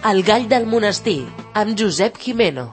El gall del monestir, amb Josep Jimeno.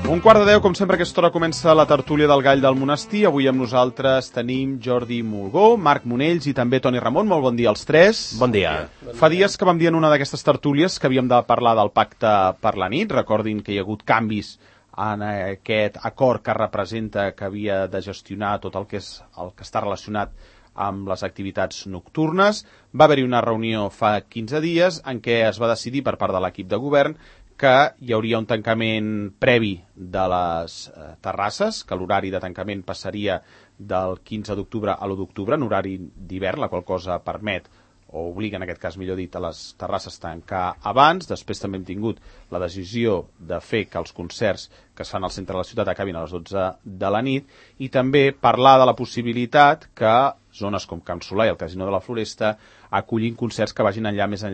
11:45, com sempre a aquesta hora comença la tertúlia del gall del monestir. Avui amb nosaltres tenim Jordi Mulgó, Marc Monells i també Toni Ramon. Molt bon dia als tres. Bon dia. Fa dies que vam dir en una d'aquestes tertúlies que havíem de parlar del pacte per la nit. Recordin que hi ha hagut canvis en aquest acord que representa que havia de gestionar tot el que està relacionat amb les activitats nocturnes. Va haver-hi una reunió fa 15 dies en què es va decidir per part de l'equip de govern que hi hauria un tancament previ de les terrasses, que l'horari de tancament passaria del 15 d'octubre a l'1 d'octubre, en horari d'hivern, la qual cosa permet, o obliga en aquest cas millor dit, a les terrasses tancar abans. Després també hem tingut la decisió de fer que els concerts que es fan al centre de la ciutat acabin a les 12 de la nit i també parlar de la possibilitat que zones com Can Solà i el Casino de la Floresta acullin concerts que vagin més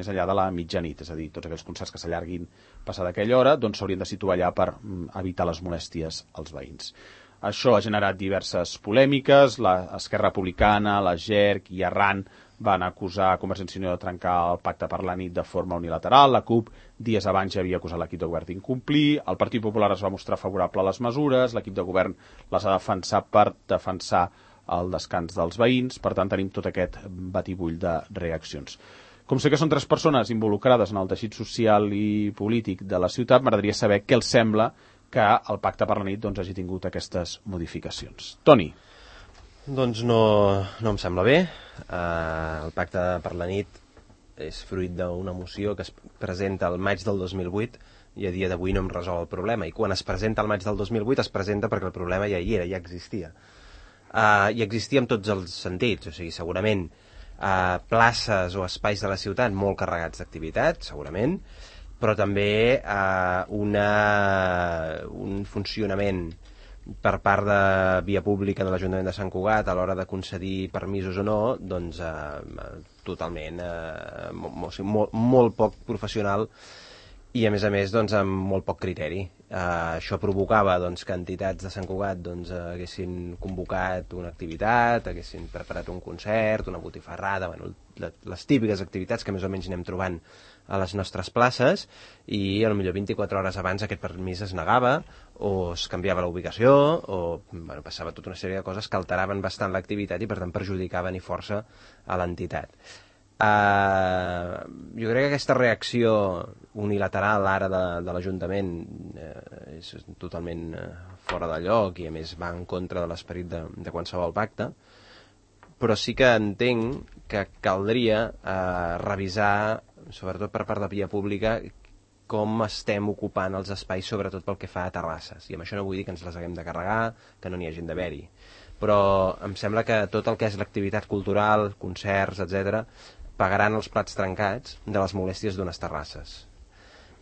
enllà de la mitjanit, és a dir, tots aquells concerts que s'allarguin passada aquella hora doncs s'haurien de situar allà per evitar les molèsties als veïns. Això ha generat diverses polèmiques. L'Esquerra Republicana, la GERC i Arran van acusar Convergència i Unió de trencar el pacte per la nit de forma unilateral. La CUP dies abans ja havia acusat l'equip de govern d'incomplir. El Partit Popular es va mostrar favorable a les mesures. L'equip de govern les ha defensat per defensar el descans dels veïns. Per tant, tenim tot aquest batibull de reaccions. Com sé que són tres persones involucrades en el teixit social i polític de la ciutat, m'agradaria saber què els sembla que el pacte per la nit hagi tingut aquestes modificacions. Toni. Doncs no em sembla bé. El pacte per la nit és fruit d'una moció que es presenta al maig del 2008 i a dia d'avui no em resol el problema. I quan es presenta al maig del 2008 es presenta perquè el problema ja hi era, ja existia. I existia en tots els sentits. O sigui, segurament places o espais de la ciutat molt carregats d'activitat, segurament, però també un funcionament per part de via pública de l'Ajuntament de Sant Cugat a l'hora de concedir permisos o no, doncs totalment molt poc professional i a més doncs amb molt poc criteri. Això provocava que entitats de Sant Cugat haguessin convocat una activitat, haguessin preparat un concert, una botifarrada, les típiques activitats que més o menys anem trobant a les nostres places, i potser 24 hores abans aquest permís es negava o es canviava la ubicació o passava tota una sèrie de coses que alteraven bastant l'activitat i per tant perjudicaven i força a l'entitat. Jo crec que aquesta reacció unilateral ara de l'Ajuntament és totalment fora de lloc i a més va en contra de l'esperit de qualsevol pacte, però sí que entenc que caldria revisar, sobretot per part de via pública, com estem ocupant els espais, sobretot pel que fa a terrasses. I amb això no vull dir que ens les haguem de carregar, que no n'hi hagin d'haver-hi. Però em sembla que tot el que és l'activitat cultural, concerts, etc., pagaran els plats trencats de les molèsties d'unes terrasses.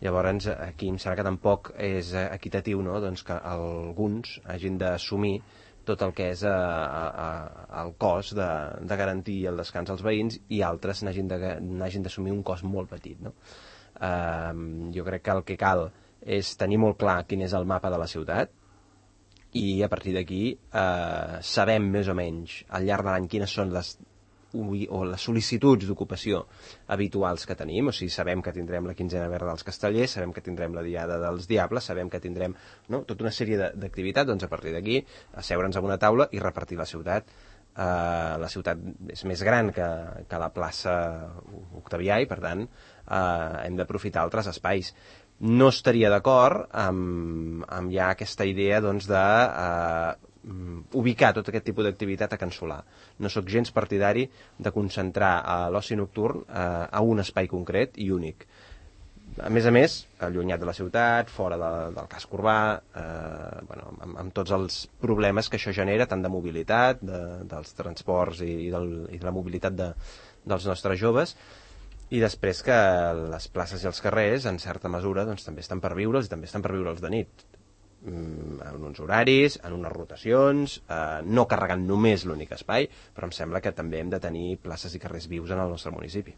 Llavors, aquí em sembla que tampoc és equitatiu, no?, que alguns hagin d'assumir tot el que és el cost de garantir el descans als veïns i altres n'hagin d'assumir un cost molt petit, no? Jo crec que el que cal és tenir molt clar quin és el mapa de la ciutat i a partir d'aquí sabem més o menys al llarg de l'any quines són les sol·licituds d'ocupació habituals que tenim. O sigui, sabem que tindrem la quinzena verda dels Castellers, sabem que tindrem la diada dels Diables, sabem que tindrem tota una sèrie d'activitats. Doncs a partir d'aquí asseure'ns a una taula i repartir la ciutat. La ciutat és més gran que la plaça Octavià i per tant hem d'aprofitar altres espais. No estaria d'acord amb ja aquesta idea de ubicar tot aquest tipus d'activitat a Can Solà. No sóc gens partidari de concentrar l'oci nocturn a un espai concret i únic. A més, allunyat de la ciutat, fora del casc urbà, amb tots els problemes que això genera, tant de mobilitat, dels transports i de la mobilitat dels nostres joves, i després que les places i els carrers, en certa mesura, també estan per viure'ls i també estan per viure'ls de nit. En uns horaris, en unes rotacions, no carregant només l'únic espai, però em sembla que també hem de tenir places i carrers vius en el nostre municipi.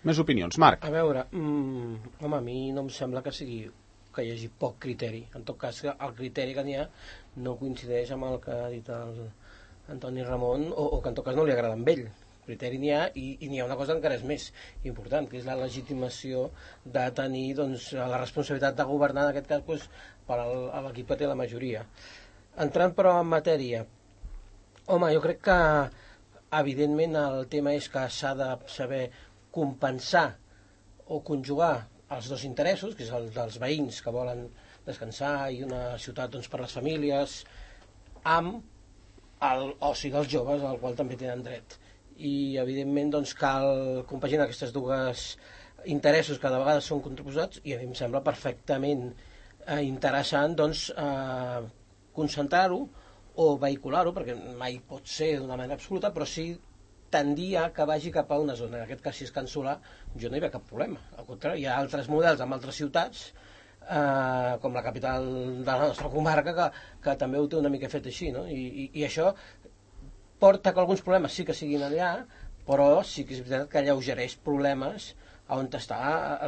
Més opinions, Marc? A veure, a mi no em sembla que hi hagi poc criteri. En tot cas, el criteri que n'hi ha no coincideix amb el que ha dit el Antoni Ramon, o que en tot cas no li agrada amb ell. Criteri n'hi ha, i n'hi ha una cosa encara és més important, que és la legitimació de tenir doncs, la responsabilitat de governar, en aquest cas doncs, per a l'equip que té la majoria. Entrant però en matèria, home, jo crec que evidentment el tema és que s'ha de saber compensar o conjugar els dos interessos, que és el dels veïns que volen descansar i una ciutat doncs, per les famílies, amb l'oci dels joves, al qual també tenen dret. I evidentment doncs, cal compaginar aquests dos interessos que de vegades són contraposats, i a mi em sembla perfectament interessant doncs, concentrar-ho o vehicular-ho, perquè mai pot ser d'una manera absoluta, però sí tendir a que vagi cap a una zona. En aquest cas, si és Can Solà, jo no hi veig cap problema. Al contrari, hi ha altres models en altres ciutats, com la capital de la nostra comarca, que també ho té una mica fet així, no? I això porta que alguns problemes sí que siguin allà, però sí que és veritat que alleugereix problemes on està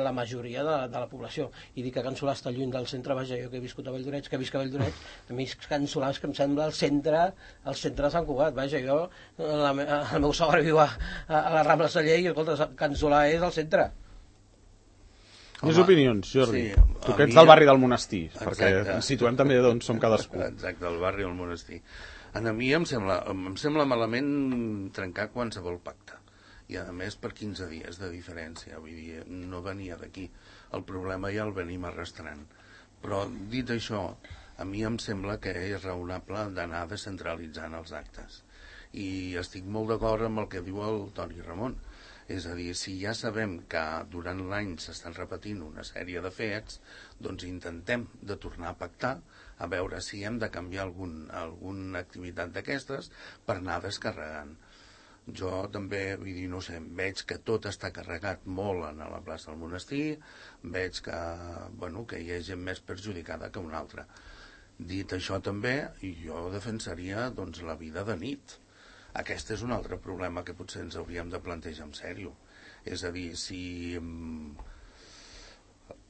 la majoria de la població. I dir que Can Solà està lluny del centre, vaja, jo que he viscut a Valldoreix, a mi Can Solà és que em sembla el centre de Sant Cugat, vaja, jo, el meu sogre viu a la Rambla Celler i, escolta, Can Solà és el centre. Més opinions, Jordi. Sí, tu que ets del barri del Monestir, perquè ens situem també d'on som cadascú. Exacte, el barri del Monestir. A mi em sembla malament trencar qualsevol pacte. I a més per 15 dies de diferència, vull dir, no venia d'aquí. El problema ja el venim arrastrant. Però dit això, a mi em sembla que és raonable d'anar descentralitzant els actes. I estic molt d'acord amb el que diu el Toni Ramon. És a dir, si ja sabem que durant l'any s'estan repetint una sèrie de fets, doncs intentem de tornar a pactar, a veure si hem de canviar alguna activitat d'aquestes per anar descarregant. Jo també, vull dir, no sé, veig que tot està carregat molt a la plaça del Monestir, veig que, bueno, que hi ha gent més perjudicada que una altra. Dit això també, jo defensaria doncs, la vida de nit. Aquest és un altre problema que potser ens hauríem de plantejar en sèrio. És a dir, si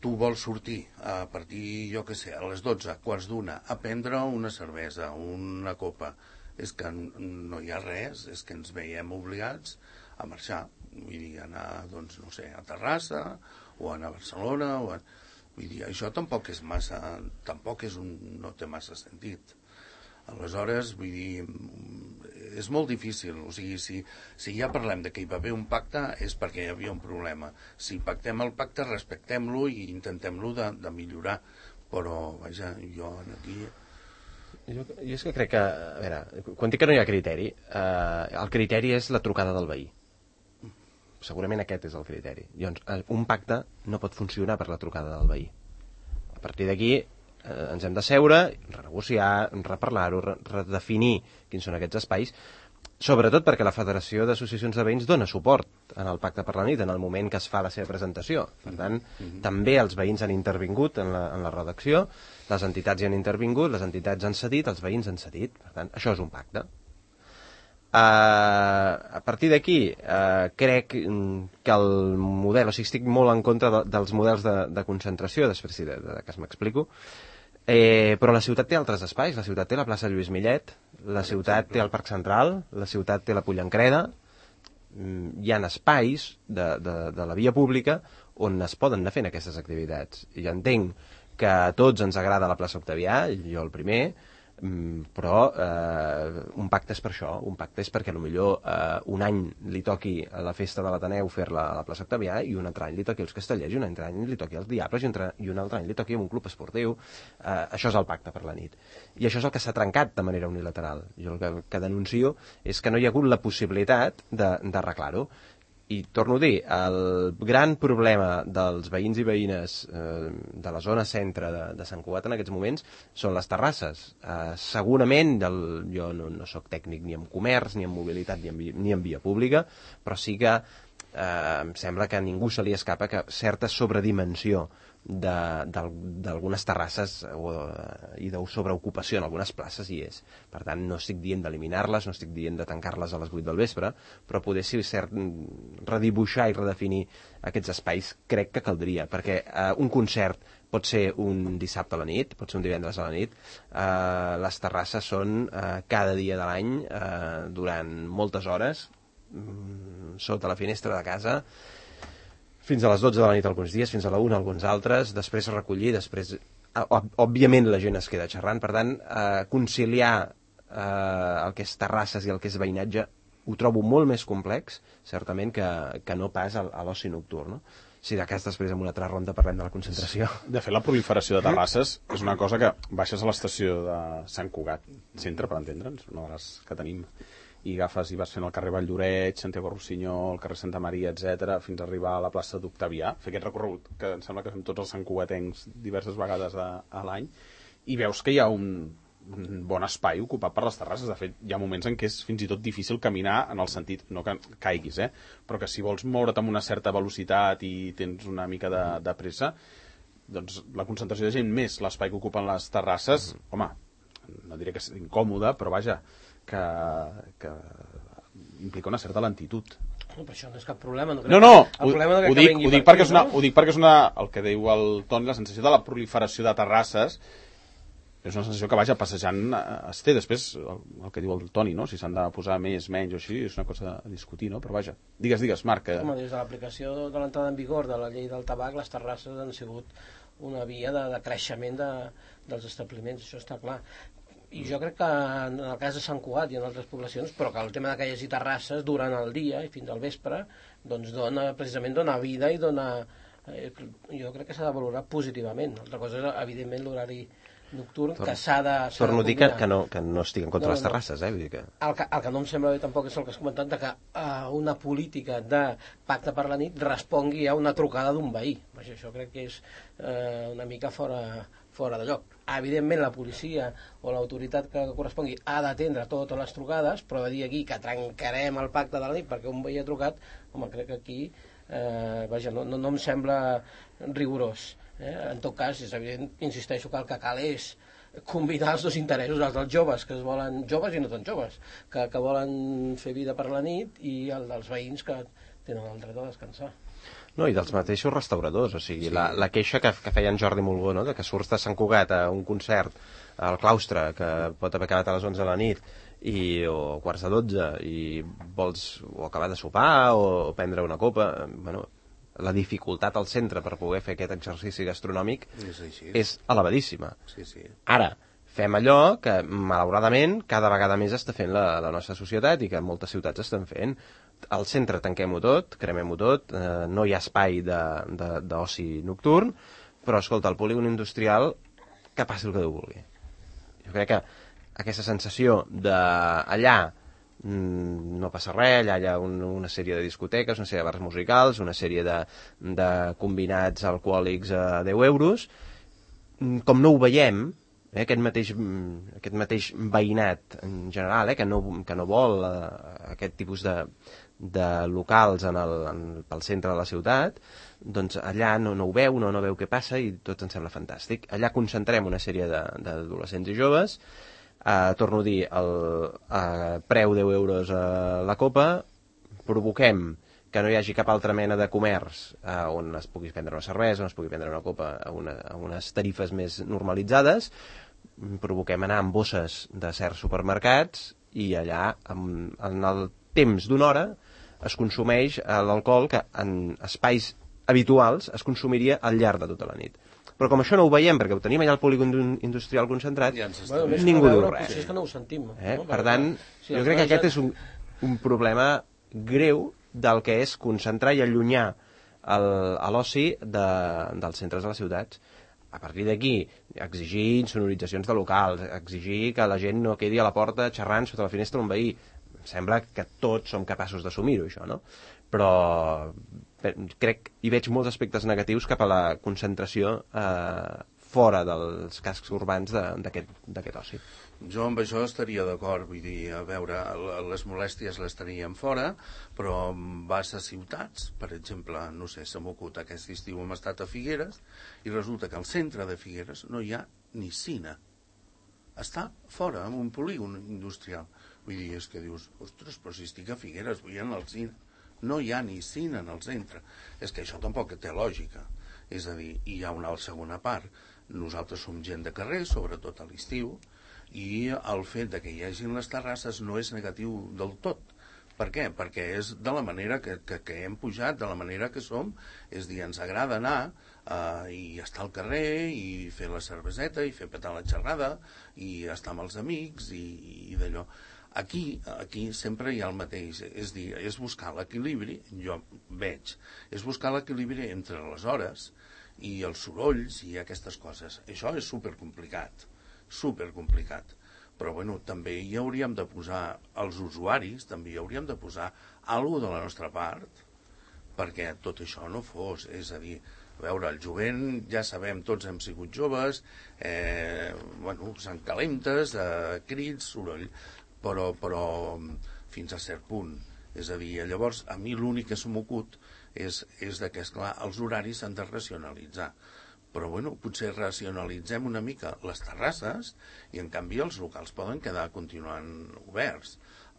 tu vols sortir a partir, jo què sé, a les 12, quarts d'una, a prendre una cervesa, una copa, és que no hi ha res, és que ens veiem obligats a marxar. Vull dir, anar, doncs, no sé, a Terrassa, o anar a Barcelona, vull dir, això tampoc és massa, no té massa sentit. Aleshores, vull dir, és molt difícil. O sigui, si ja parlem de que hi va haver un pacte és perquè hi havia un problema. Si pactem el pacte, respectem-lo i intentem-lo de millorar. Però, vaja, jo aquí... Jo és que crec que, a veure, quan dic que no hi ha criteri, el criteri és la trucada del veí. Segurament aquest és el criteri. Llavors, un pacte no pot funcionar per la trucada del veí. A partir d'aquí ens hem de seure, renegociar, reparlar-ho, redefinir quins són aquests espais, sobretot perquè la Federació d'Associacions de Veïns dona suport en el Pacte per la Nit en el moment que es fa la seva presentació. Per tant, també els veïns han intervingut en la redacció, les entitats hi han intervingut, les entitats han cedit, els veïns han cedit. Per tant, això és un pacte. A partir d'aquí, crec que el model, o sigui, estic molt en contra dels models de concentració, després sí, que m'explico, però la ciutat té altres espais. La ciutat té la plaça Lluís Millet, la ciutat té el Parc Central, la ciutat té la Pollancreda. Hi ha espais de la via pública on es poden anar fent aquestes activitats. I entenc que a tots ens agrada la plaça Octavià, jo el primer, però un pacte és per això. Un pacte és perquè potser un any li toqui a la festa de l'Ateneu fer-la a la plaça Octavià i un altre any li toqui als Castellers i un altre any li toqui als Diables i un altre any li toqui a un club esportiu. Això és el pacte per la nit, i això és el que s'ha trencat de manera unilateral. Jo el que denuncio és que no hi ha hagut la possibilitat d'arreglar-ho. I torno a dir, el gran problema dels veïns i veïnes de la zona centre de Sant Cugat en aquests moments són les terrasses. Segurament, jo no soc tècnic ni en comerç, ni en mobilitat, ni en via pública, però sí que em sembla que a ningú se li escapa que certa sobredimensió d'algunes terrasses i de sobreocupació en algunes places hi és. Per tant, no estic dient d'eliminar-les, no estic dient de tancar-les a les 8 del vespre, però poder si cert redibuixar i redefinir aquests espais crec que caldria, perquè un concert pot ser un dissabte a la nit, pot ser un divendres a la nit, les terrasses són cada dia de l'any durant moltes hores sota la finestra de casa fins a les 12 de la nit alguns dies, fins a la 1 alguns altres, després recollir, després òbviament la gent es queda xerrant, per tant conciliar el que és terrasses i el que és veïnatge ho trobo molt més complex, certament, que no pas a l'oci nocturn, no? Si de cas després en una altra ronda parlem de la concentració. De fet, la proliferació de terrasses és una cosa que baixes a l'estació de Sant Cugat, centre, per entendre'ns, una de les que tenim, i agafes i vas fent el carrer Valldoreix, Santiago Rossinyol, el carrer Santa Maria, etc, fins a arribar a la plaça d'Octavià, fer aquest recorregut que em sembla que fem tots els santcugatencs diverses vegades a l'any, i veus que hi ha un bon espai ocupat per les terrasses. De fet, hi ha moments en què és fins i tot difícil caminar en el sentit, no que caiguis, però que si vols moure't amb una certa velocitat i tens una mica de pressa, doncs la concentració de gent més l'espai que ocupen les terrasses, home, no diré que és incòmode, però vaja, que implica una certa lentitud. No, però això no és cap problema. Ho dic perquè és una, el que diu el Toni, la sensació de la proliferació de terrasses és una sensació que, vaja, passejant es té. Després, el que diu el Toni, no? Si s'han de posar més, menys o així, és una cosa a discutir, no? Però vaja, digues, Marc. Home, des de l'aplicació de l'entrada en vigor de la llei del tabac, les terrasses han sigut una via de creixement dels establiments, això està clar. I jo crec que en el cas de Sant Cugat i en altres poblacions, però que el tema de que hi hagi terrasses durant el dia i fins al vespre, doncs precisament dona vida i dona... jo crec que s'ha de valorar positivament. Altra cosa és, evidentment, l'horari nocturn que s'ha de torno a dir que no estic en contra de les terrasses, vull dir que... El que no em sembla bé tampoc és el que has comentat, de que una política de pacte per la nit respongui a una trucada d'un veí. Això crec que és una mica fora de lloc. Evidentment la policia o l'autoritat que correspongui ha d'atendre totes les trucades, però de dir aquí que trencarem el pacte de la nit perquè un veí ha trucat, home, crec que aquí no em sembla rigorós. En tot cas, és evident, insisteixo, que el que cal és combinar els dos interessos, els dels joves, que es volen, joves i no tan joves, que volen fer vida per la nit, i el dels veïns que tenen el dret a descansar. No, i dels mateixos restauradors, o sigui, sí. La queixa que feia en Jordi Mulgó, no?, de que surts de Sant Cugat a un concert al claustre, que pot haver acabat a les 11 de la nit, o quarts de 12, i vols o acabar de sopar o prendre una copa, bueno, la dificultat al centre per poder fer aquest exercici gastronòmic és elevadíssima. Sí. Ara, fem allò que, malauradament, cada vegada més està fent la nostra societat i que moltes ciutats estan fent. Al centre tanquem-ho tot, cremem-ho tot, no hi ha espai d'oci nocturn, però, escolta, el polígon industrial, que passi el que Déu vulgui. Jo crec que aquesta sensació d'allà no passa res, allà hi ha una sèrie de discoteques, una sèrie de bars musicals, una sèrie de combinats alcohòlics a 10 euros. Com no ho veiem, aquest mateix veïnat en general, que no vol aquest tipus de locals pel centre de la ciutat, doncs allà no ho veu, no veu què passa i tot ens sembla fantàstic. Allà concentrem una sèrie d'adolescents i joves, torno a dir, preu 10 euros a la copa, provoquem que no hi hagi cap altra mena de comerç on es pugui prendre una cervesa, on es pugui prendre una copa a unes tarifes més normalitzades, provoquem anar amb bosses de certs supermercats i allà, en el temps d'una hora, es consumeix l'alcohol que en espais habituals es consumiria al llarg de tota la nit. Però com això no ho veiem, perquè ho tenim allà al polígon industrial concentrat, ningú diu res. Potser és que no ho sentim. Per tant, jo crec que aquest és un problema greu del que és concentrar i allunyar l'oci dels centres de les ciutats. A partir d'aquí, exigir insonoritzacions de locals, exigir que la gent no quedi a la porta xerrant sota la finestra d'un veí. Em sembla que tots som capaços d'assumir-ho, això, no? Però crec i veig molts aspectes negatius cap a la concentració fora dels cascs urbans d'aquest oci. Jo amb això estaria d'acord, vull dir, a veure, les molèsties les teníem fora, però vas a ciutats, per exemple, no sé, se m'ocut aquest estiu hem estat a Figueres, i resulta que al centre de Figueres no hi ha ni cine. Està fora, en un polígon industrial. Vull dir, és que dius, ostres, però si estic a Figueres, vull anar al cine. No hi ha ni cine en el centre. És que això tampoc té lògica. És a dir, hi ha una segona part. Nosaltres som gent de carrer, sobretot a l'estiu, i el fet de que hi hagin les terrasses no és negatiu del tot, Per què? Perquè és de la manera que hem pujat, de la manera que som, és dir, ens agrada anar i estar al carrer i fer la cerveseta i fer petar la xerrada i estar amb els amics i d'allò. Aquí sempre hi ha el mateix, és dir, és buscar l'equilibri, jo veig, és buscar l'equilibri entre les hores i els sorolls i aquestes coses. Això és supercomplicat, supercomplicat. Però bueno, també hi hauríem de posar, els usuaris, també hi hauríem de posar alguna de la nostra part perquè tot això no fos, és a dir, a veure, el jovent, ja sabem, tots hem sigut joves, s'encalentes, crits, soroll, però fins a cert punt. És a dir, llavors, a mi l'únic que se m'ocut és que, esclar, els horaris s'han de racionalitzar. Però bueno, potser racionalitzem una mica les terrasses i en canvi els locals poden quedar continuant oberts.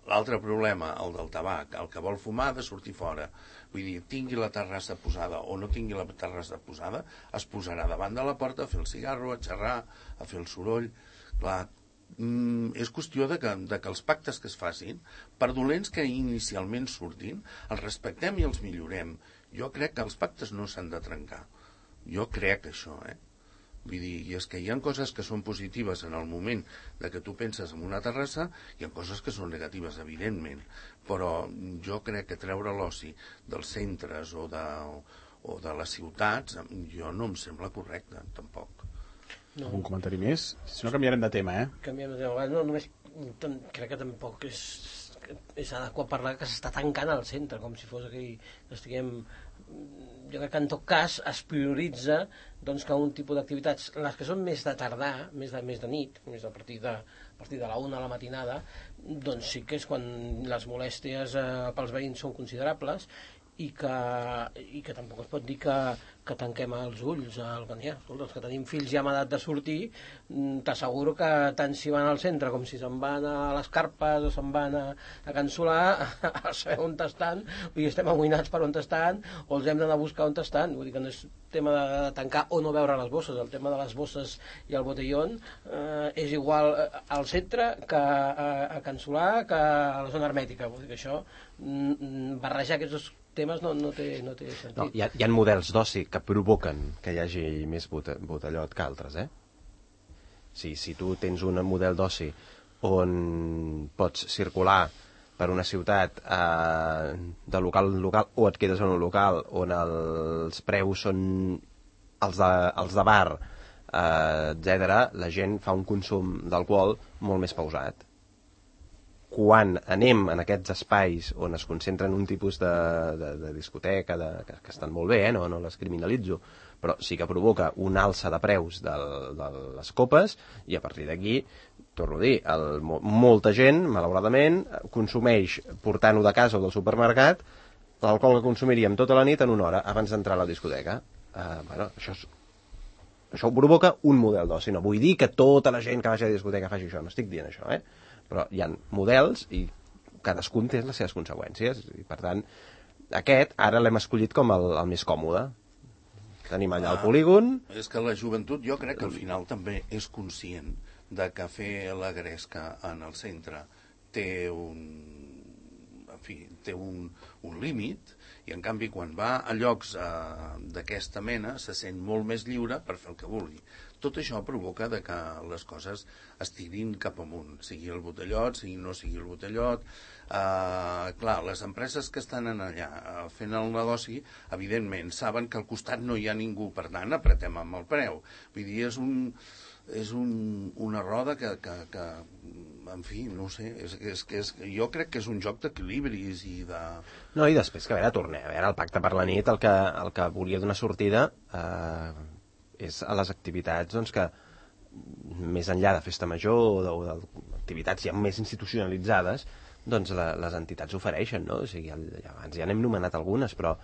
L'altre problema, el del tabac, el que vol fumar ha de sortir fora. Vull dir, tingui la terrassa posada o no tingui la terrassa posada, es posarà davant de la porta a fer el cigarro, a xerrar, a fer el soroll. Clar, és qüestió de que els pactes que es facin, per dolents que inicialment surtin, els respectem i els millorem. Jo crec que els pactes no s'han de trencar. Jo crec això, Vull dir, i és que hi ha coses que són positives en el moment de que tu penses en una terrassa, hi ha coses que són negatives, evidentment, però jo crec que treure l'oci dels centres o de les ciutats, jo no em sembla correcte, tampoc. No. Algun comentari més? Si no, canviarem de tema, Canviem de tema. No, només crec que tampoc és adequat parlar que s'està tancant al centre, com si fos que estiguem... Jo crec que en tot cas es prioritza doncs, que un tipus d'activitats, les que són més de tardar, més de nit, més a partir de la 1 a la matinada, doncs sí que és quan les molèsties pels veïns són considerables i que tampoc es pot dir que tanquem els ulls els que tenim fills ja amb edat de sortir, t'asseguro que tant si van al centre com si se'n van a les Carpes o se'n van a Can Solà, a saber on estan, vull dir, estem amoïnats per on estan o els hem d'anar a buscar on estan, vull dir que no és tema de tancar o no veure les bosses, el tema de les bosses i el botellón és igual al centre que a Can Solà que a la zona hermètica, vull dir que això barrejar aquests dos temes no té sentit. No, hi ha models d'oci que provoquen que hi hagi més botellot que altres, Si tu tens un model d'oci on pots circular per una ciutat de local en local o et quedes en un local on els preus són els de bar, etc., la gent fa un consum d'alcohol molt més pausat. Quan anem en aquests espais on es concentren un tipus de discoteca que estan molt bé, no les criminalitzo, però sí que provoca un alça de preus de les copes i a partir d'aquí, torno a dir, molta gent, malauradament, consumeix portant-ho de casa o del supermercat l'alcohol que consumiríem tota la nit en una hora abans d'entrar a la discoteca. Això ho provoca un model d'oci. No vull dir que tota la gent que vagi a la discoteca faci això, no estic dient això, però hi ha models i cadascun té les seves conseqüències i per tant aquest ara l'hem escollit com el més còmode. Tenim allà el polígon. És que la joventut jo crec que al final també és conscient de que fer la gresca en el centre té un límit i en canvi quan va a llocs d'aquesta mena se sent molt més lliure per fer el que vulgui. Tot això provoca de que les coses es tirin cap amunt, sigui el botellot, sigui no sigui el botellot. Clar, les empreses que estan allà fent el negoci, evidentment, saben que al costat no hi ha ningú, per tant, apretem amb el preu. Vull dir, és una roda que en fi, no sé, jo crec que és un joc d'equilibris i de... No, i després, que a veure, el Pacte per la Nit el que volia donar sortida és a les activitats doncs, que més enllà de festa major o d'activitats ja més institucionalitzades doncs les entitats ofereixen, no? O sigui, abans ja n'hem nomenat algunes, però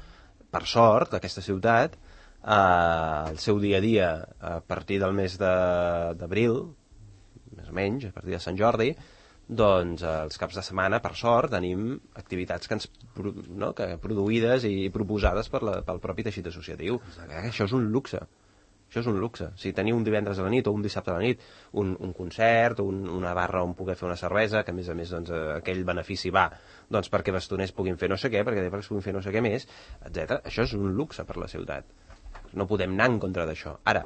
per sort aquesta ciutat el seu dia a dia a partir del mes d'abril, més o menys, a partir de Sant Jordi, doncs els caps de setmana, per sort, tenim activitats que produïdes i proposades pel propi teixit associatiu. Això és un luxe. Això és un luxe. Si tenir un divendres a la nit o un dissabte a la nit un concert o una barra on poder fer una cervesa, que a més doncs, aquell benefici va doncs, perquè bastoners puguin fer no sé què, perquè després puguin fer no sé què més, etc. Això és un luxe per la ciutat. No podem anar en contra d'això. Ara,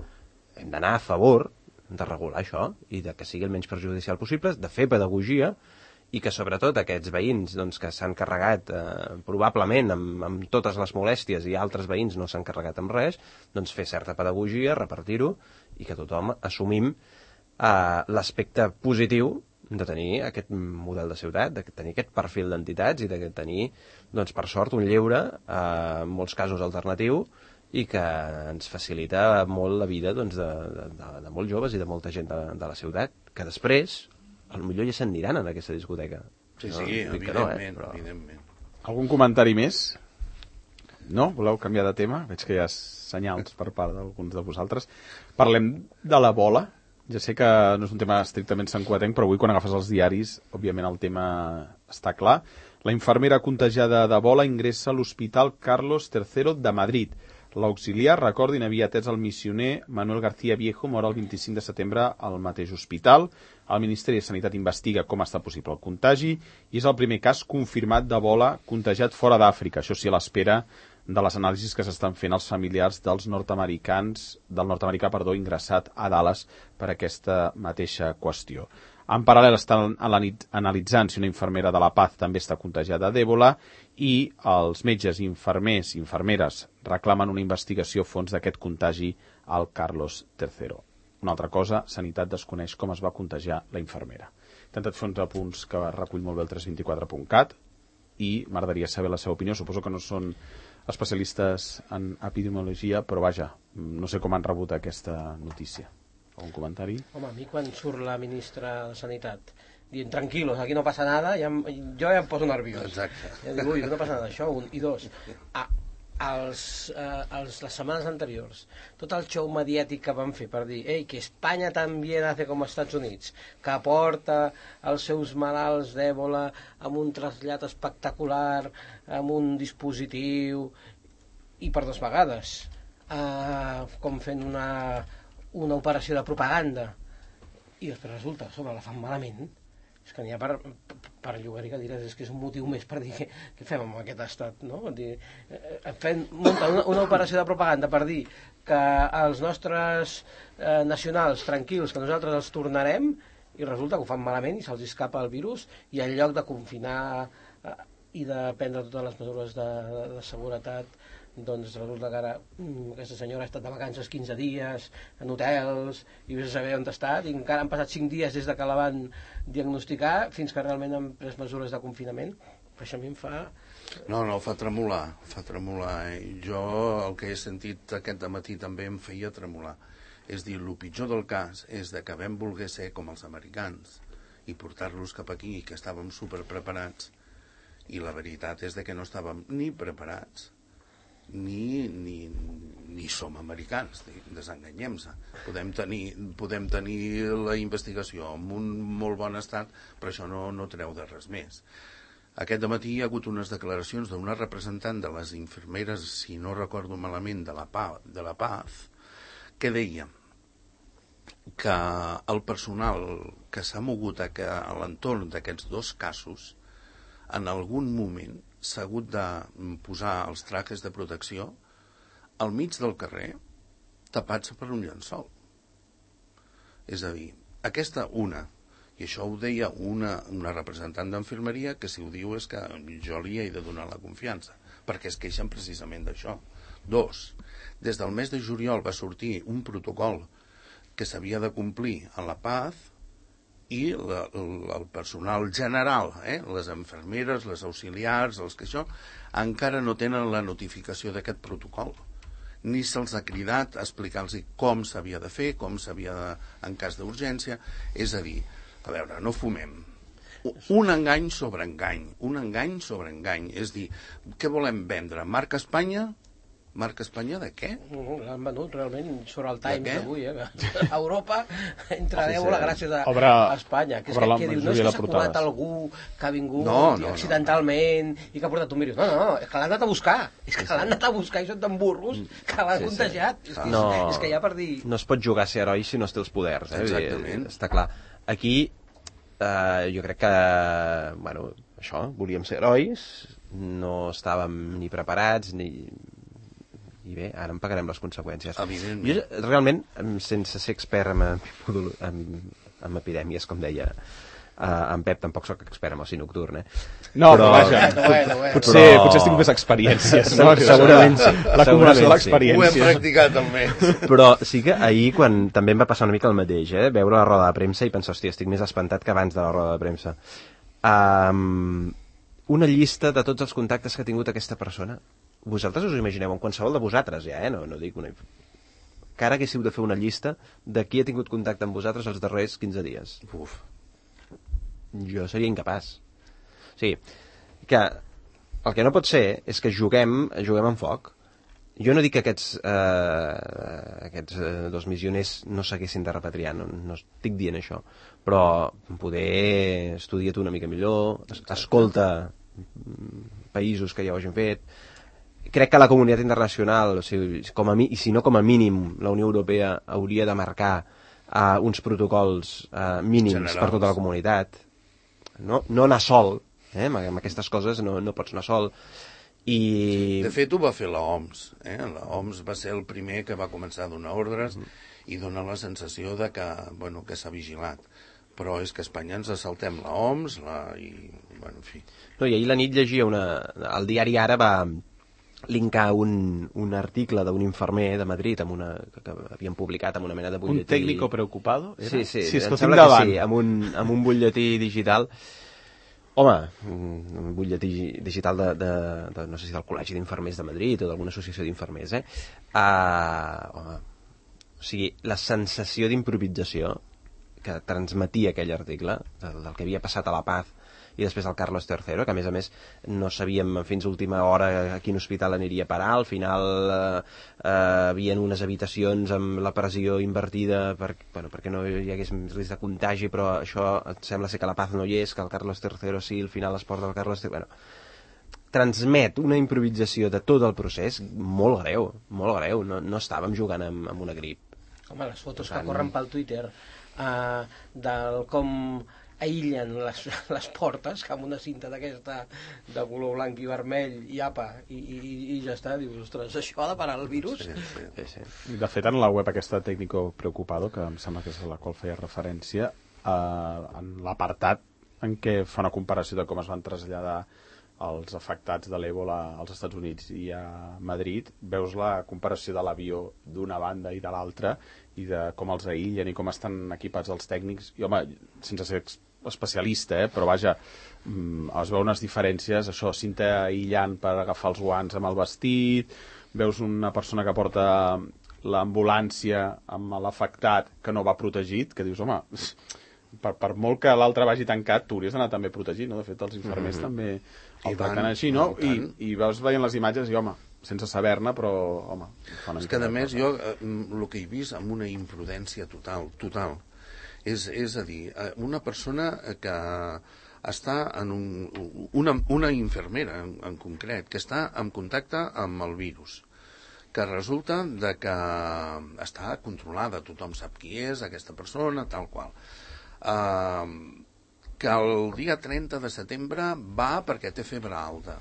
hem d'anar a favor de regular això i de que sigui el menys perjudicial possible, de fer pedagogia i que sobretot aquests veïns doncs, que s'han carregat probablement amb totes les molèsties i altres veïns no s'han carregat amb res, doncs fer certa pedagogia, repartir-ho i que tothom assumim l'aspecte positiu de tenir aquest model de ciutat, de tenir aquest perfil d'entitats i de tenir, doncs, per sort, un lleure, en molts casos alternatiu, i que ens facilita molt la vida doncs, de molts joves i de molta gent de la ciutat, que després potser ja s'aniran en aquesta discoteca. Sí, no, sí, evidentment, però... evidentment. Algun comentari més? No? Voleu canviar de tema? Veig que hi ha senyals per part d'alguns de vosaltres. Parlem de la bola. Ja sé que no és un tema estrictament santcugatenc, però avui quan agafes els diaris, òbviament el tema està clar. La infermera contagiada de bola ingressa a l'Hospital Carlos III de Madrid. L'auxiliar, recordin, havia atès el missioner Manuel García Viejo, mort el 25 de setembre al mateix hospital. El Ministeri de Sanitat investiga com està possible el contagi i és el primer cas confirmat d'Ebola contagiat fora d'Àfrica. Això sí, a l'espera de les anàlisis que s'estan fent als familiars del nord-americà ingressat a Dallas per aquesta mateixa qüestió. En paral·lel estan analitzant si una infermera de La Paz també està contagiada d'Ebola i els metges, infermers i infermeres reclamen una investigació a fons d'aquest contagi al Carlos III. Una altra cosa, Sanitat desconeix com es va contagiar la infermera. He intentat fer uns apunts que recull molt bé el 324.cat i m'agradaria saber la seva opinió. Suposo que no són especialistes en epidemiologia, però vaja, no sé com han rebut aquesta notícia. Algun comentari? Home, a mi quan surt la ministra de Sanitat dient, tranquilos, aquí no passa nada, jo ja em poso nerviós. Exacte. Ja dic, ui, no passa nada, això, un. I dos, les setmanes anteriors, tot el show mediàtic que van fer per dir, ei, que Espanya també hace com els Estats Units, que porta els seus malalts d'èbola amb un trasllat espectacular, amb un dispositiu, i per 2 vegades, com fent una operació de propaganda, i després resulta, sobre la fan malament. És que n'hi ha per llogar-hi cadires, és que és un motiu més per dir què fem amb aquest estat, no? Munten una operació de propaganda per dir que els nostres nacionals tranquils, que nosaltres els tornarem, i resulta que ho fan malament i se'ls escapa el virus, i en lloc de confinar i de prendre totes les mesures de seguretat, doncs resulta que ara aquesta senyora ha estat de vacances 15 dies en hotels i vés a saber on ha estat, i encara han passat 5 dies des de que la van diagnosticar fins que realment han pres mesures de confinament. Per això a mi em fa... No, fa tremolar. Jo el que he sentit aquest dematí també em feia tremolar. És dir, el pitjor del cas és que vam voler ser com els americans i portar-los cap aquí, que estàvem superpreparats, i la veritat és que no estàvem ni preparats ni som americans, desenganyem-se. Podem tenir la investigació en un molt bon estat, però això no treu de res més. Aquest dematí hi ha hagut unes declaracions d'una representant de les infermeres, si no recordo malament, de la Paz, que deia que el personal que s'ha mogut a l'entorn d'aquests 2 casos en algun moment s'ha hagut de posar els trajes de protecció al mig del carrer tapats per un llençol. És a dir, aquesta i això ho deia una representant d'enfermeria, que si ho diu és que jo li he de donar la confiança, perquè es queixen precisament d'això. 2, des del mes de juliol va sortir un protocol que s'havia de complir a La Paz, i el personal general, les infermeres, les auxiliars, els que això, encara no tenen la notificació d'aquest protocol. Ni se'ls ha cridat a explicar-los com s'havia de fer, com s'havia de, en cas d'urgència. És a dir, a veure, no fumem. Un engany sobre engany. És dir, què volem vendre? Marca Espanya? Marca Espanya de què? L'han venut realment sobre el Times d'avui, a Europa entra l'èbola gràcies a Espanya, que diu, no és que s'ha colat algú que ha vingut accidentalment i que ha portat un virus, no, és que l'han anat a buscar, i són tan burros que l'han contagiat, és que ja per dir... No es pot jugar a ser heroi si no es té els poders, exactament, està clar. Aquí jo crec que, bueno, això, volíem ser herois, no estàvem ni preparats i bé, ara en pagarem les conseqüències. Jo, realment, sense ser expert en epidèmies, com deia en Pep, tampoc sóc expert en oci nocturn, No, però vaja, potser estic més experiències, no? Segurament sí. L'acumulació de l'experiència. Ho hem practicat, almenys. Però sí que ahir, quan també em va passar una mica el mateix, veure la roda de premsa i pensar, hòstia, estic més espantat que abans de la roda de premsa. Una llista de tots els contactes que ha tingut aquesta persona. Vosaltres us ho imagineu, en qualsevol de vosaltres ja, no dic una... Que ara haguéssiu de fer una llista de qui ha tingut contacte amb vosaltres els darrers 15 dies. Uf. Jo seria incapaç. O sigui, que el que no pot ser és que juguem amb foc. Jo no dic que aquests 2 missioners no s'haguessin de repatriar, no estic dient això, però poder estudiar-ho una mica millor, escolta països que ja ho hagin fet. Crec que la comunitat internacional, o sigui, i si no com a mínim, la Unió Europea hauria de marcar uns protocols mínims generals per tota la comunitat. No anar sol, amb aquestes coses no pots anar sol. De fet, ho va fer l'OMS. L'OMS va ser el primer que va començar a donar ordres i donar la sensació de que s'ha vigilat. Però és que a Espanya ens assaltem l'OMS i, en fi. No, i ahir la nit llegia el diari Ara va linkar un article d'un infermer de Madrid que havien publicat amb una mena de butlletí. Un tècnico preocupado? Sí, em sembla que sí, amb un butlletí digital. Home, un butlletí digital de no sé si del Col·legi d'Infermers de Madrid o d'alguna associació d'infermers, home, o sigui, la sensació d'improvisació que transmetia aquell article, del que havia passat a La Paz i després al Carlos III, que a més no sabíem fins a última hora a quin hospital aniria a parar. Al final havien unes habitacions amb la pressió invertida perquè no hi hagués risc de contagi, però això sembla ser que La Paz no hi és, que el Carlos III sí, al final es porta el Carlos III... transmet una improvisació de tot el procés molt greu, no estàvem jugant amb una grip. Home, les fotos que corren pel Twitter del com aïllen les portes, que amb una cinta d'aquesta de color blanc i vermell i apa, i ja està, dius, ostres, això ha de parar el virus? Sí. De fet, en la web aquesta Técnico Preocupado, que em sembla que és a la qual feia referència, en l'apartat en què fa una comparació de com es van traslladar els afectats de l'èbola als Estats Units i a Madrid, veus la comparació de l'avió d'una banda i de l'altra i de com els aïllen i com estan equipats els tècnics. I home, sense ser especialista, però vaja, es veu unes diferències, això, cinta aïllant per agafar els guants amb el vestit, veus una persona que porta l'ambulància amb l'afectat que no va protegit, que dius, home, per molt que l'altre vagi tancat, tu hauries d'anar també protegit, no? De fet, els infermers també el tracten així, no? I veus veient les imatges i, home, sense saber-ne, però, home... És que, a més, jo el que he vist amb una imprudència total, és a dir, una persona que està en una infermera, en concret, que està en contacte amb el virus, que resulta de que està controlada, tothom sap qui és aquesta persona, tal qual. Que el dia 30 de setembre va perquè té febre alta.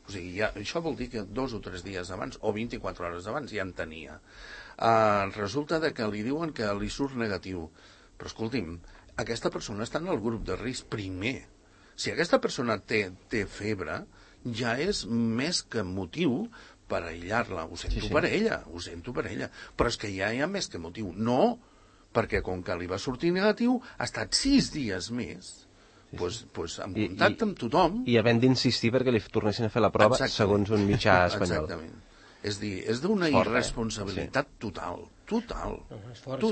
O sigui, això vol dir que 2 o 3 dies abans, o 24 hores abans, ja en tenia. Resulta de que li diuen que li surt negatiu. Però escolti'm, aquesta persona està en el grup de risc primer. Si aquesta persona té febre, ja és més que motiu per aïllar-la. Ho sento per ella. Però és que ja hi ha més que motiu. No, perquè com que li va sortir negatiu, ha estat 6 dies més pues en contacte amb tothom. I havent d'insistir perquè li tornessin a fer la prova segons un mitjà espanyol. Exactament. És dir, és d'una irresponsabilitat total. És fort,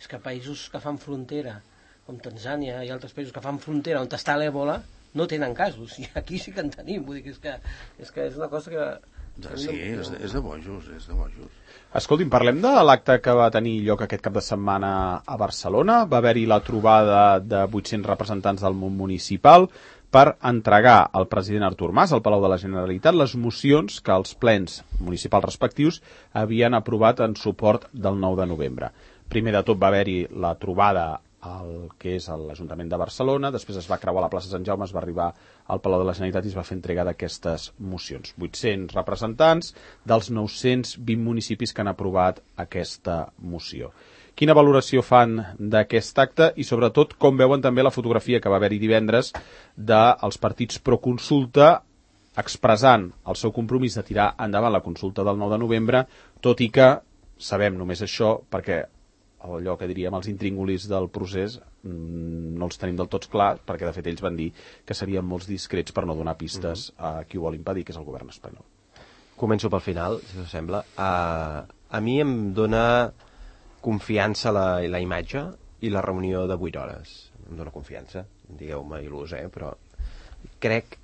és que països que fan frontera, com Tanzània i altres països que fan frontera on està l'èbola, no tenen casos, i aquí sí que en tenim. Vull dir que és una cosa Sí, és de bojos, és de bojos. Escolti'm, parlem de l'acte que va tenir lloc aquest cap de setmana a Barcelona. Va haver-hi la trobada de 800 representants del món municipal per entregar al president Artur Mas, al Palau de la Generalitat, les mocions que els plens municipals respectius havien aprovat en suport del 9 de novembre. Primer de tot va haver-hi la trobada al que és l'Ajuntament de Barcelona, després es va creuar a la plaça Sant Jaume, es va arribar al Palau de la Generalitat i es va fer entrega d'aquestes mocions. 800 representants dels 920 municipis que han aprovat aquesta moció. Quina valoració fan d'aquest acte i, sobretot, com veuen també la fotografia que va haver-hi divendres dels partits pro-consulta expressant el seu compromís de tirar endavant la consulta del 9 de novembre, tot i que sabem només això perquè allò que diríem els intríngulis del procés no els tenim del tot clar, perquè de fet ells van dir que serien molts discrets per no donar pistes a qui ho vol impedir, que és el govern espanyol. Començo pel final, si us sembla. A mi em dona confiança la imatge i la reunió de 8 hores. Em dona confiança, digueu-me il·lus, però crec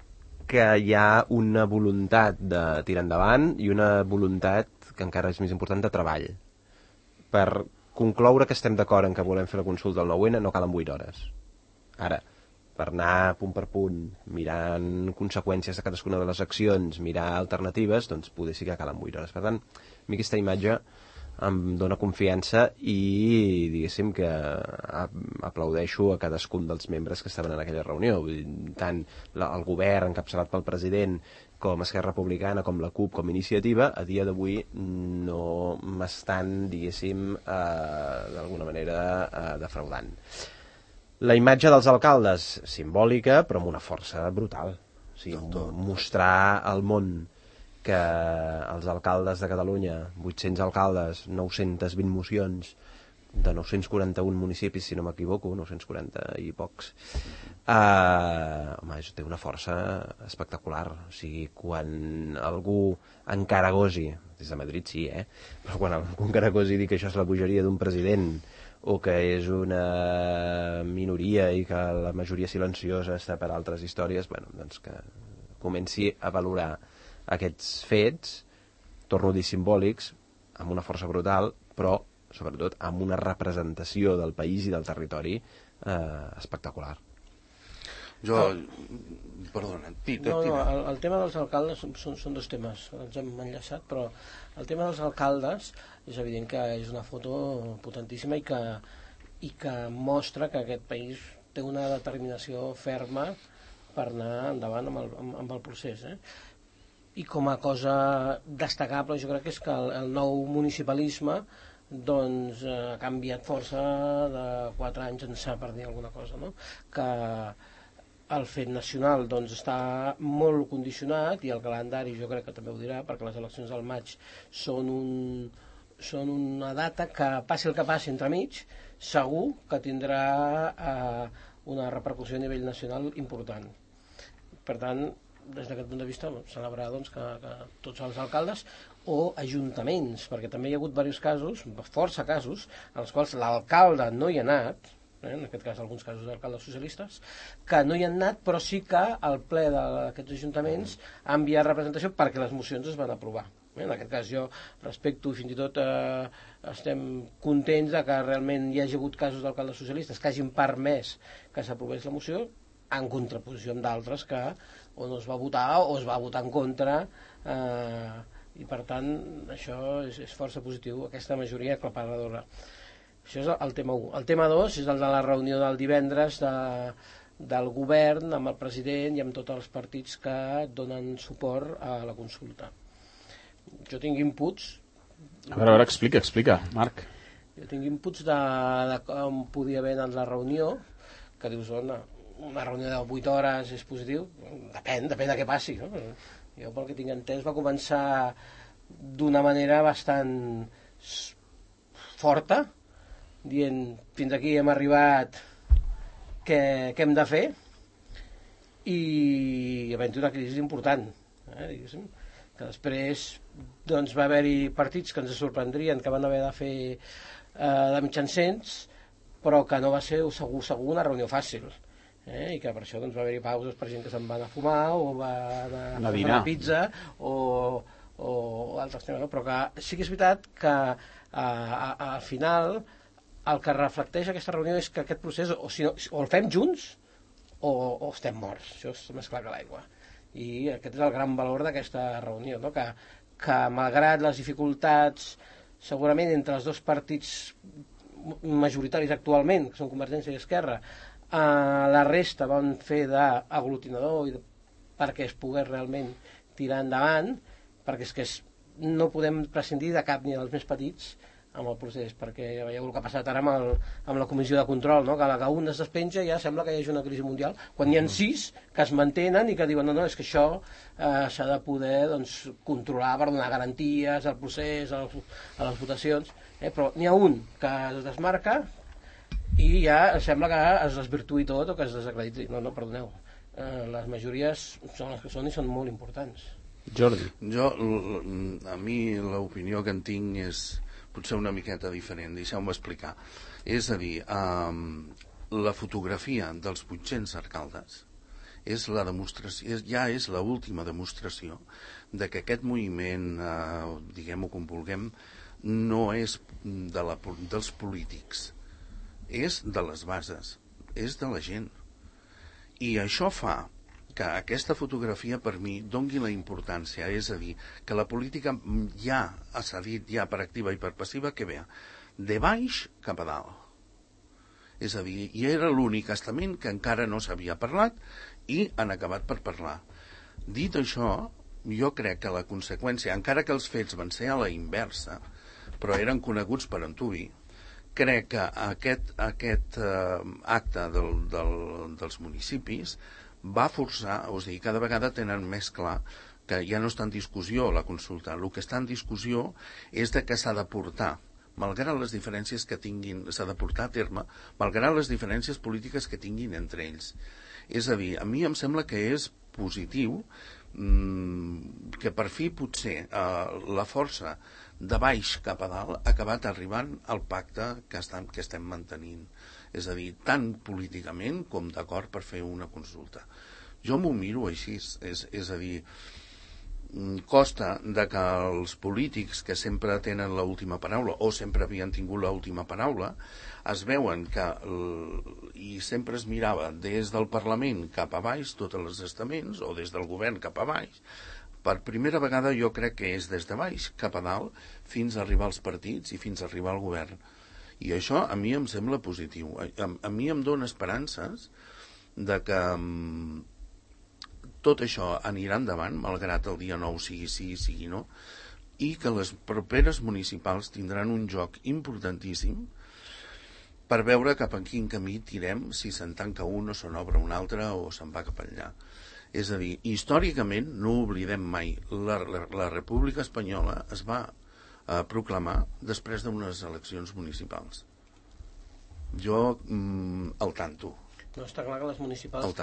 que hi ha una voluntat de tirar endavant i una voluntat, que encara és més important, de treball. Per concloure que estem d'acord en que volem fer la consulta del 9-N no calen 8 hores. Ara, per anar punt per punt, mirant conseqüències de cadascuna de les accions, mirar alternatives, doncs poder sí que calen 8 hores. Per tant, a mi aquesta imatge em dona confiança i diguéssim que aplaudeixo a cadascun dels membres que estaven en aquella reunió. Tant el govern encapçalat pel president com Esquerra Republicana, com la CUP, com Iniciativa, a dia d'avui no m'estan, diguéssim, d'alguna manera defraudant. La imatge dels alcaldes, simbòlica, però amb una força brutal. O sigui, mostrar al món que els alcaldes de Catalunya, 800 alcaldes, 920 mocions, de 941 municipis, si no m'equivoco, 940 i pocs, home, té una força espectacular. O sigui, quan algú encaragosi, des de Madrid sí, però quan algú encaragosi dir que això és la bogeria d'un president o que és una minoria i que la majoria silenciosa està per altres històries, bueno, doncs que comenci a valorar aquests fets, torno a dir simbòlics, amb una força brutal, però sobretot amb una representació del país i del territori espectacular. Perdona, el tema dels alcaldes són dos temes, ens hem enllaçat, però el tema dels alcaldes és evident que és una foto potentíssima i que mostra que aquest país té una determinació ferma per anar endavant amb el procés. I com a cosa destacable jo crec que és que el nou municipalisme doncs ha canviat força de 4 anys ençà, per dir alguna cosa, no? Que el fet nacional doncs està molt condicionat i el calendari jo crec que també ho dirà, perquè les eleccions del maig són una data que passi el que passi entremig, segur que tindrà una repercussió a nivell nacional important. Per tant, des d'aquest punt de vista, celebrar doncs, que tots els alcaldes o ajuntaments, perquè també hi ha hagut diversos casos, força casos, en els quals l'alcalde no hi ha anat, en aquest cas alguns casos d'alcaldes socialistes, que no hi han anat, però sí que el ple d'aquests ajuntaments ha enviat representació perquè les mocions es van aprovar. En aquest cas jo respecto, fins i tot estem contents de que realment hi hagi hagut casos d'alcaldes socialistes que hagin permès que s'aprovés la moció, en contraposició amb d'altres que o no es va votar o es va votar en contra, i per tant això és força positiu, aquesta majoria aclaparadora. Això és el tema 1. El tema 2 és el de la reunió del divendres del govern amb el president i amb tots els partits que donen suport a la consulta. Jo tinc inputs. A veure, explica, Marc. Jo tinc inputs de com podia haver anat la reunió, que dius, una reunió de 8 hores és positiu? Depèn de què passi, no? Jo, pel que tinc entès, va començar d'una manera bastant forta, dient, fins aquí hem arribat, què hem de fer? I havent una crisi important, diguéssim, que després doncs, va haver-hi partits que ens sorprendrien, que van haver de fer de mitjancents, però que no va ser segur una reunió fàcil. I que per això doncs, va haver-hi pauses per gent que se'n va anar a fumar o va anar a fer una pizza o o altres temes, no? Però que sí que és veritat que al final el que reflecteix aquesta reunió és que aquest procés o el fem junts o estem morts. Això és més clar que l'aigua. I aquest és el gran valor d'aquesta reunió, no? Que malgrat les dificultats segurament entre els dos partits majoritaris actualment, que són Convergència i Esquerra, la resta van fer d'aglutinador perquè es pogués realment tirar endavant, perquè és que no podem prescindir de cap ni dels més petits amb el procés, perquè veieu el que ha passat ara amb la comissió de control, no? Que un es despenja i ja sembla que hi hagi una crisi mundial, quan hi ha 6 que es mantenen i que diuen no, és que això s'ha de poder controlar per donar garanties al procés, a les votacions, però n'hi ha un que es desmarca i ja sembla que es desvirtuï tot o que es desacrediti. No, perdoneu, les majories són les que són i són molt importants. Jordi. A mi l'opinió que en tinc és potser una miqueta diferent, deixeu-me explicar. És a dir, la fotografia dels 800 alcaldes és la demostració, ja és l'última demostració de que aquest moviment, diguem-ho com vulguem, no és dels polítics, és de les bases, és de la gent. I això fa que aquesta fotografia per mi doni la importància, és a dir, que la política ja ha cedit, ja per activa i per passiva, que ve de baix cap a dalt. És a dir, i era l'únic estament que encara no s'havia parlat i han acabat per parlar. Dit això, jo crec que la conseqüència, encara que els fets van ser a la inversa, però eren coneguts per antuvi, crec que aquest acte dels municipis va forçar, o sigui, cada vegada tenen més clar que ja no està en discussió la consulta. El que està en discussió és de que s'ha de portar, malgrat les diferències que tinguin, s'ha de portar a terme, malgrat les diferències polítiques que tinguin entre ells. És a dir, a mi em sembla que és positiu que per fi potser la força de baix cap a dalt ha acabat arribant al pacte que estem mantenint. És a dir, tant políticament com d'acord per fer una consulta. Jo m'ho miro així, és a dir, costa de que els polítics que sempre tenen l'última paraula o sempre havien tingut l'última paraula es veuen que i sempre es mirava des del Parlament cap a baix tots els estaments o des del govern cap a baix. Per primera vegada jo crec que és des de baix cap a dalt fins a arribar als partits i fins a arribar al govern. I això a mi em sembla positiu. A mi em dona esperances de que tot això anirà endavant, malgrat el dia 9 sigui sí, sigui no, i que les properes municipals tindran un joc importantíssim per veure cap a quin camí tirem, si se'n tanca un o se n'obre un altre o se'n va cap allà. És a dir, històricament, no oblidem mai, la República Espanyola es va proclamar després d'unes eleccions municipals. Jo al tanto. No, està clar que les municipals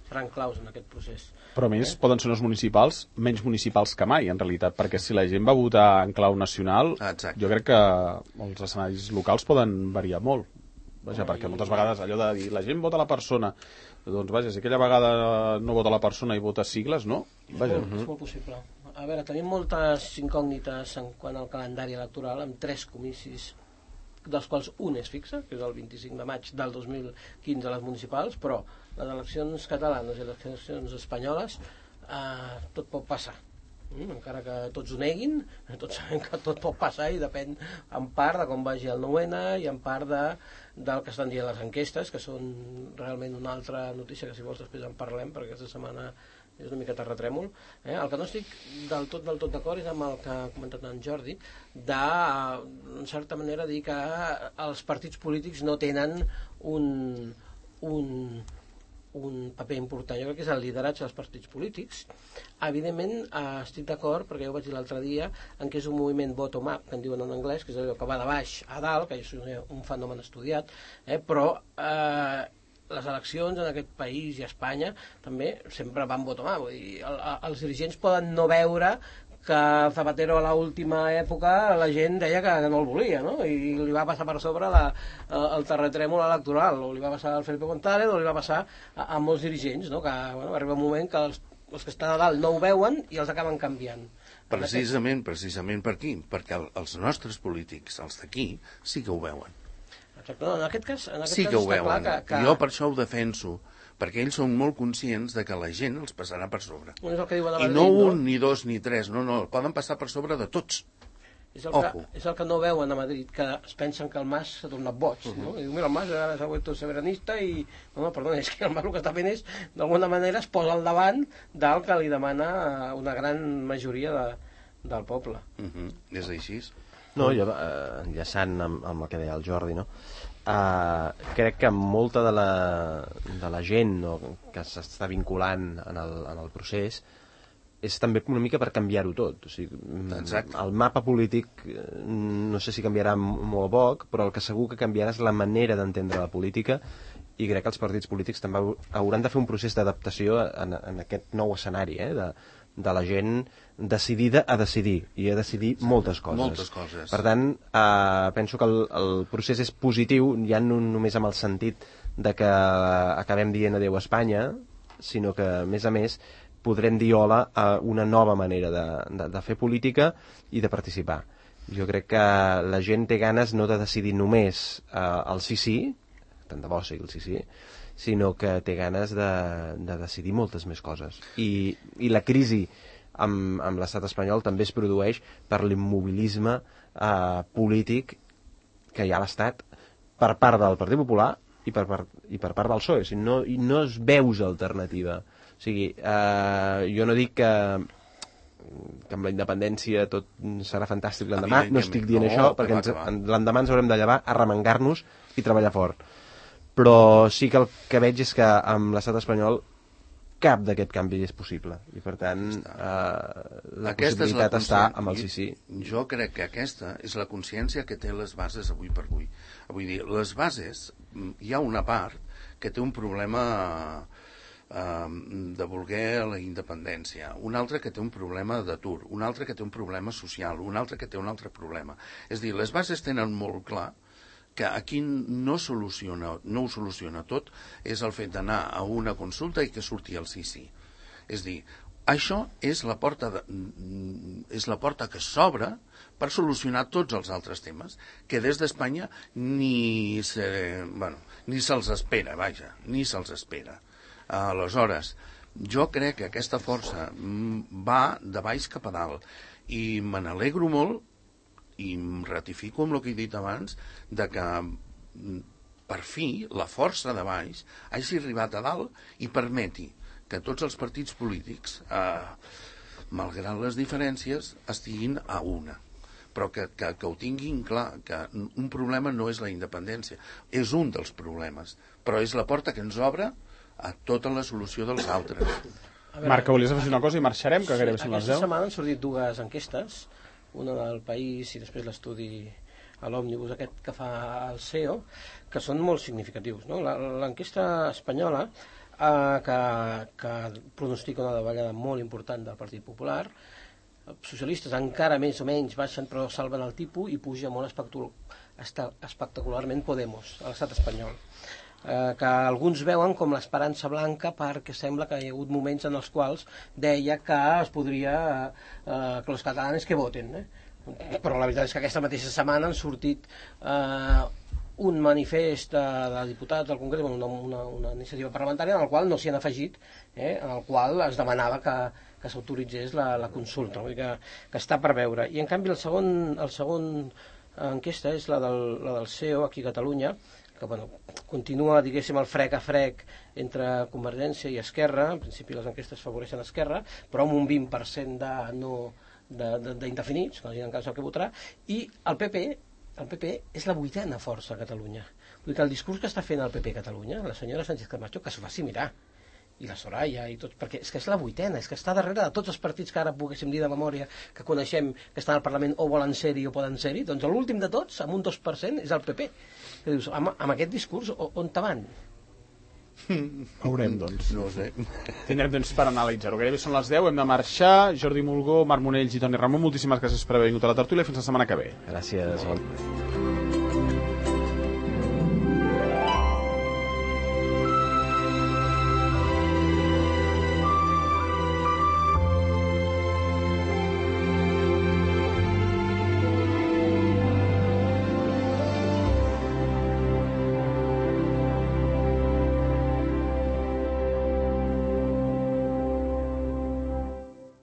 seran claus en aquest procés. Però a més poden ser unes municipals menys municipals que mai, en realitat, perquè si la gent va votar en clau nacional, jo crec que els escenaris locals poden variar molt. Vaja, perquè moltes vegades allò de dir la gent vota la persona, doncs vaja, si aquella vegada no vota la persona i vota sigles, no? Vaja. És molt possible. A veure, tenim moltes incògnites en quant al calendari electoral, amb 3 comicis, dels quals un és fixe, que és el 25 de maig del 2015 a les municipals, però les eleccions catalanes i les eleccions espanyoles tot pot passar. Encara que tots ho neguin, tots sabem que tot pot passar i depèn en part de com vagi el 9-N i en part del que estan dient les enquestes, que són realment una altra notícia que si vols després en parlem, perquè aquesta setmana és una mica terratrèmol. El que no estic del tot d'acord és amb el que ha comentat en Jordi, de, en certa manera, dir que els partits polítics no tenen un paper important. Jo crec que és el lideratge dels partits polítics. Evidentment estic d'acord, perquè jo ho vaig dir l'altre dia, en què és un moviment bottom-up, que en diuen en anglès, que és allò que va de baix a dalt, que és un fenomen estudiat, però les eleccions en aquest país i a Espanya també sempre van bottom-up. Vull dir, els dirigents poden no veure que Zapatero a l'última època la gent deia que no el volia, no? I li va passar per sobre el terratrèmol electoral, o li va passar al Felipe González, o li va passar a molts dirigents, no? Que arriba un moment que els que estan a dalt no ho veuen i els acaben canviant. Precisament per aquí, perquè els nostres polítics, els d'aquí, sí que ho veuen. Exacte. No, en aquest cas Sí que ho està clar veuen. que... Jo per això ho defenso, perquè ells són molt conscients de que la gent els passarà per sobre. És el que diuen a I Madrid, no un, ni dos, ni tres, no, poden passar per sobre de tots. És el que no veuen a Madrid, que es pensen que el Mas s'ha tornat boig, no? I diu, mira, el Mas ara s'ha vuelto soberanista i... No, perdó, és que el Mas el que està fent és, d'alguna manera, es posa al davant del que li demana una gran majoria del poble. És així. No, jo, enllaçant amb el que deia el Jordi, no? Crec que molta de la gent que s'està vinculant en el procés és també una mica per canviar-ho tot. O sigui, el mapa polític no sé si canviarà molt poc, però el que segur que canviarà és la manera d'entendre la política, i crec que els partits polítics també hauran de fer un procés d'adaptació en aquest nou escenari, de la gent decidida a decidir, i a decidir moltes coses. Moltes coses. Per tant, penso que el procés és positiu, ja no només amb el sentit de que acabem dient adeu a Espanya, sinó que, a més, podrem dir hola a una nova manera de fer política i de participar. Jo crec que la gent té ganes no de decidir només el sí, tant de bo sigui el sí, sinó que té ganes de decidir moltes més coses. I la crisi amb l'estat espanyol també es produeix per l'immobilisme polític que hi ha a l'estat per part del Partit Popular i per part del PSOE. O sigui, no es veus alternativa. O sigui, jo no dic que amb la independència tot serà fantàstic l'endemà, no estic dient això, perquè l'endemà ens haurem de llevar, arremangar-nos i treballar fort. Però sí que el que veig és que amb l'estat espanyol cap d'aquest canvi és possible, i per tant la possibilitat està amb el sí. Jo crec que aquesta és la consciència que té les bases avui per avui. Vull dir, les bases, hi ha una part que té un problema de voler la independència, un altre que té un problema d'atur, un altre que té un problema social, un altre que té un altre problema. És a dir, les bases tenen molt clar que aquí no ho soluciona tot, és el fet d'anar a una consulta i que surti el sí. És a dir, això és la porta que s'obre per solucionar tots els altres temes, que des d'Espanya ni se'ls espera, ni se'ls espera. Aleshores, jo crec que aquesta força va de baix cap a dalt, i me n'alegro molt, i em ratifico amb el que he dit abans, de que per fi la força de baix hagi arribat a dalt i permeti que tots els partits polítics, malgrat les diferències, estiguin a una. Però que ho tinguin clar, que un problema no és la independència, és un dels problemes, però és la porta que ens obre a tota la solució dels altres. Marc, volies afegir una cosa i marxarem, que gairebé són les 10? Aquesta setmana han sortit dues enquestes, una del País i després l'estudi a l'òmnibus aquest que fa el CEO, que són molt significatius, no? L'enquesta espanyola que pronostica una davallada molt important del Partit Popular, els socialistes encara més o menys baixen però salven el tipus i puja molt espectacularment Podemos a l'estat espanyol, que alguns veuen com l'esperança blanca, perquè sembla que hi ha hagut moments en els quals deia que es podria que els catalans que voten, però la veritat és que aquesta mateixa setmana han sortit un manifest de diputats del Congrés, una iniciativa parlamentària en el qual no s'hi han afegit, en el qual es demanava que s'autoritzés la consulta, vull dir que està per veure. I en canvi el segon enquesta és la del CEO aquí a Catalunya, que continua, diguéssim, el frec a frec entre Convergència i Esquerra. En principi les enquestes favoreixen Esquerra, però amb un 20% d'indefinits, que no tenen cas el que votarà, i el PP és la 8ª força a Catalunya. Vull dir que el discurs que està fent el PP a Catalunya, la senyora Sánchez Camacho, que s'ho faci mirar, i la Soraya i tots, perquè és que és la 8ª, és que està darrere de tots els partits que ara poguéssim dir de memòria que coneixem, que estan al Parlament o volen ser-hi o poden ser-hi, doncs l'últim de tots, amb un 2%, és el PP. Que dius, amb aquest discurs, on te van? Veurem, doncs. No ho sé. Tindrem temps per analitzar-ho. Gairebé són les 10, hem de marxar. Jordi Mulgó, Marc Monells i Toni Ramon, moltíssimes gràcies per haver vingut a la tertúlia. Fins la setmana que ve. Gràcies.